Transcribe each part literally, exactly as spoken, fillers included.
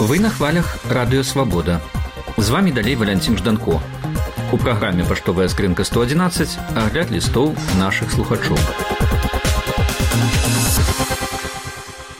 Вы на хвалях Радыё Свабода. З вами далей Валянцін Жданко. У праграме «Паштовая скрынка сто одиннадцать» агляд лістоў нашых слухачоў.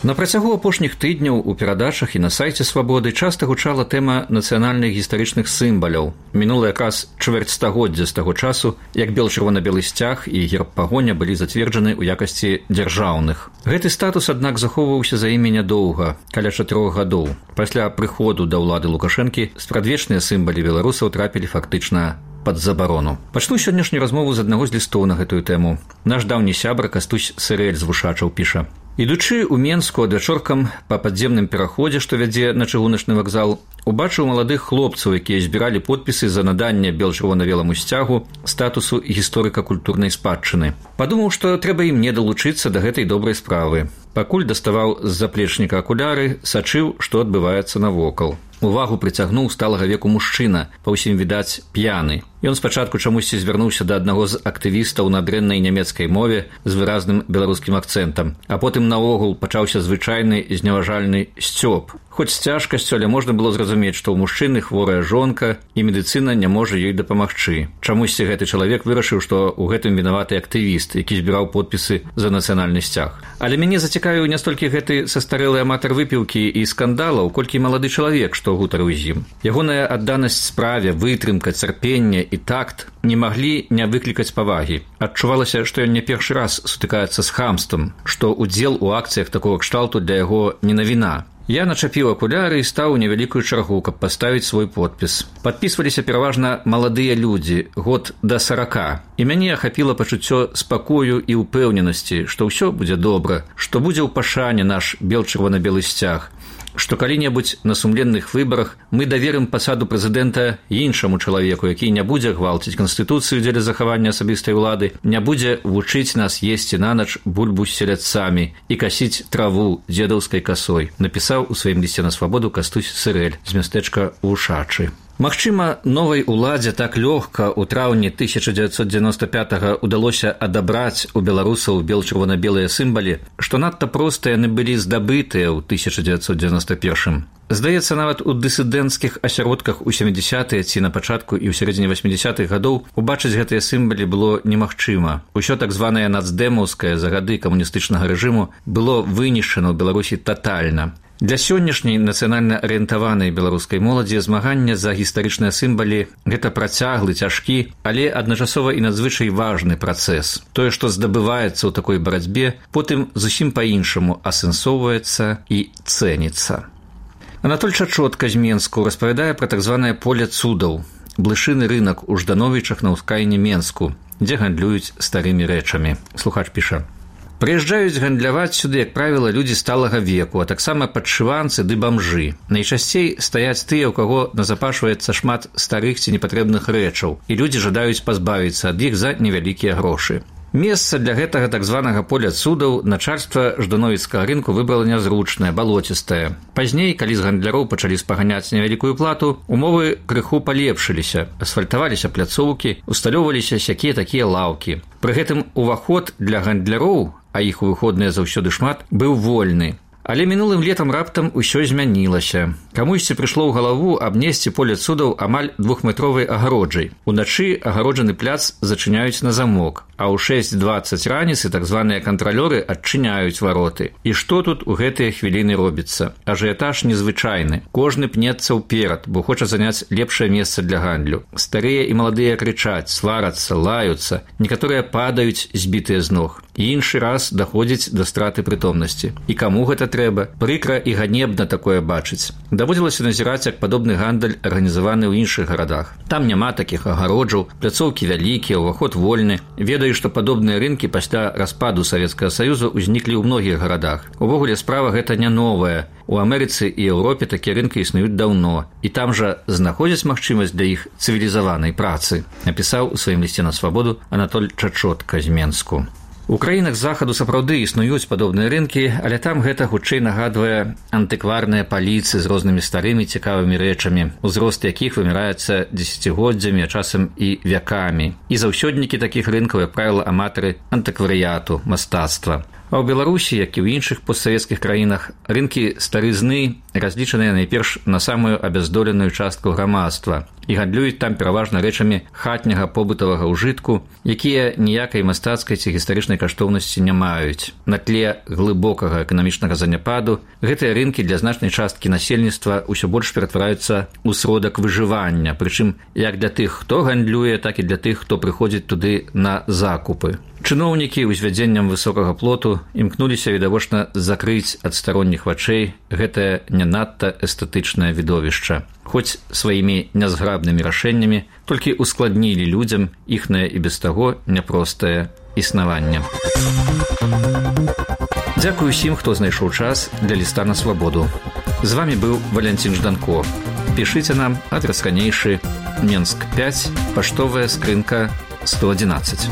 На працягу апошніх тыдняў у перадачах і на сайце Свабоды часта гучала тэма нацыянальных гістарычных сімваляў. Мінула якраз чвэрць стагоддзя з таго часу, як бел-чырвона-белы сцяг і герб пагоня былі зацверджаны ў якасці дзяржаўных. Гэты статус, аднак, захоўваўся за імі нядоўга, каля чатырох гадоў. Пасля прыходу да ўлады Лукашэнкі спрадвечныя сімвалы беларусаў трапілі фактычна пад забарону. Пачну сённяшнюю размову з аднаго з лістоў на гэтую тэму. Наш даўні сябра Кастусь Сырэль з Вушачаў піша: «Ідучы ў Менску адвячоркам па падземным пераходзе, што вядзе на чыгуначны вакзал, убачыў маладых хлопцаў, якія збіралі подпісы за наданне бел-чырвона-беламу сцягу статусу гісторыка-культурнай спадчыны. Падумаў, што трэба і мне далучыцца да гэтай добрай справы. Пакуль даставаў з заплечніка акуляры, сачыў, што адбываецца навокал. Увагу прыцягнуў сталага веку мужчына, па ўсім відаць п'яны. Ён спачатку чамусьці звярнуўся да аднаго з актывістаў на дрэннай нямецкай мове з выразным беларускім акцэнтам, а потым наогул пачаўся звычайны зневажальны сцёб. Хоць з цяжкасцю, але можна было зразумець, што ў мужчыны хворая жонка і медыцына не можа ёй дапамагчы. Чамусьці гэты чалавек вырашыў, што ў гэтым вінаваты актывіст, які збіраў подпісы за нацыянальны сцяг. Але мяне зацікавіў не столькі гэты састарэлы аматар выпіўкі і скандалаў, колькі малады чалавек, што гутарыў з ім. Ягоная адданасць справе, вытрымка, цярпенне і такт не маглі не выклікаць павагі. Адчувалася, што ён не першы раз сутыкаецца з хамствам, што удзел у акцыях такога кшталту для яго не навіна. Я начапіў акуляры і стаў у невялікую чаргу, каб паставіць свой подпіс. Падпісваліся пераважна маладыя людзі, год да сарака. І мяне ахапіла пачуццё спакою і ўпэўненасці, што ўсё будзе добра, што будзе ў пашане наш бел-чырвона-белы сцяг, што калі-небудзь на сумленных выбарах мы даверым пасаду прэзідэнта іншаму чалавеку, які не будзе гвалціць канстытуцыю дзеля захавання асабістай улады, не будзе вучыць нас есці нанач бульбу з селядцамі і касіць траву дзедаўскай касой, напісаў у сваім лісце на Свабоду Кастусь Сырэль з мястэчка Вушачы. Магчыма, новай уладзе так лёгка ў траўні тысяча дзевяцьсот дзевяноста пятага ўдалося адабраць у беларусаў бел-чырвона-белыя сімвалы, што надта проста яны былі здабытыя ў тысяча дзевяцьсот дзевяноста першым. Здаецца, нават у дысідэнцкіх асяродках у сямідзясятыя ці на пачатку і ў сярэдзіне васьмідзясятых гадоў убачыць гэтыя сімвалы было немагчыма. Усё так званае нацдэмаўскае за гады камуністычнага рэжыму было вынішчана ў Беларусі татальна. Для сённяшняй нацыянальна арыентаванай беларускай моладзі змаганне за гістарычныя сімвалы – гэта працяглы, цяжкі, але адначасова і надзвычай важны працэс. Тое, што здабываецца ў такой барацьбе, потым зусім па-іншаму асэнсоўваецца і цэніцца. Анатоль Чачотка з Менску распавядае пра так званае поле цудаў – блышыны рынак у Ждановічах на ўскраіне Менску, дзе гандлююць старымі рэчамі. Слухач піша: «Прыязджаюць гандляваць сюды, як правіла, людзі сталага веку, а таксама падшыванцы ды бамжы. Найчасцей стаяць тыя, у каго назапашваецца шмат старых ці непатрэбных рэчаў, і людзі жадаюць пазбавіцца ад іх за невялікія грошы. Месца для гэтага так званага поля цудаў начальства ждановіцкага рынку выбрала нязручнае, балоцістае. Пазней, калі з гандляроў пачалі спаганяць невялікую плату, умовы крыху палепшыліся, асфальтаваліся пляцоўкі, усталёўваліся сякія-такія лаўкі. Пры гэтым уваход для гандляроў, а іх у выходныя заўсёды шмат, быў вольны. Але мінулым летам раптам усё змянілася. Камусьці прыйшло ў галаву абнесці поле цудаў амаль двухметровай агароджай. Уначы агароджаны пляц зачыняюць на замок, а ў шэсць дваццаць раніцы так званыя кантралёры адчыняюць вароты. І што тут у гэтыя хвіліны робіцца? Ажыятаж незвычайны. Кожны пнецца ўперад, бо хоча заняць лепшае месца для гандлю. Старыя і маладыя крычаць, сварацца, лаюцца. Некаторыя падаюць, збітыя з ног. І іншы раз даходзіць да страты прытомнасці. І каму гэта трэба? Прыкра і ганебна такое бачыць. Даводзілася назіраць, як падобны гандаль арганізаваны ў іншых гарадах. Там няма такіх агароджаў, пляцоўкі вялікія, уваход вольны. Ведаю, што падобныя рынкі пасля распаду Савецкага Саюза ўзніклі ў многіх гарадах. Увогуле справа гэта не новая. У Амерыцы і Еўропе такія рынкі існуюць даўно. І там жа знаходзяць магчымасць для іх цывілізаванай працы, напісаў у сваім лісце на Свабоду Анатоль Чачотка з Менску. У краінах захаду сапраўды існуюць падобныя рынкі, але там гэта хутчэй нагадвае антыкварныя паліцы з рознымі старымі цікавымі рэчамі, узрост якіх вымяраецца дзесяцігоддзямі, а часам і вякамі. І заўсёднікі такіх рынкаў, як правіла, аматары антыкварыяту, мастацтва. А ў Беларусі, як і ў іншых постсавецкіх краінах, рынкі старызны разлічаныя найперш на самую абяздоленую частку грамадства і гандлююць там пераважна рэчамі хатняга побытавага ўжытку, якія ніякай мастацкай ці гістарычнай каштоўнасці не маюць. На тле глыбокага эканамічнага заняпаду гэтыя рынкі для значнай часткі насельніцтва ўсё больш ператвараюцца ў сродак выжывання, прычым як для тых, хто гандлюе, так і для тых, хто прыходзіць туды на закупы. Чыноўнікі ўзвядзеннем высокага плоту імкнуліся відавочна закрыць ад старонніх вачэй гэтае не надта эстэтычнае відовішча, хоць сваімі нязграбнымі рашэннямі толькі ускладнілі людзям іхнае і без таго няпростае існаванне. Дзякую усім, хто знайшоў час для ліста на свабоду. З вамі быў Валянцін Жданко. Пішыце нам, адрас ранейшы, Менск пяць, паштовая скрынка сто адзінаццаць.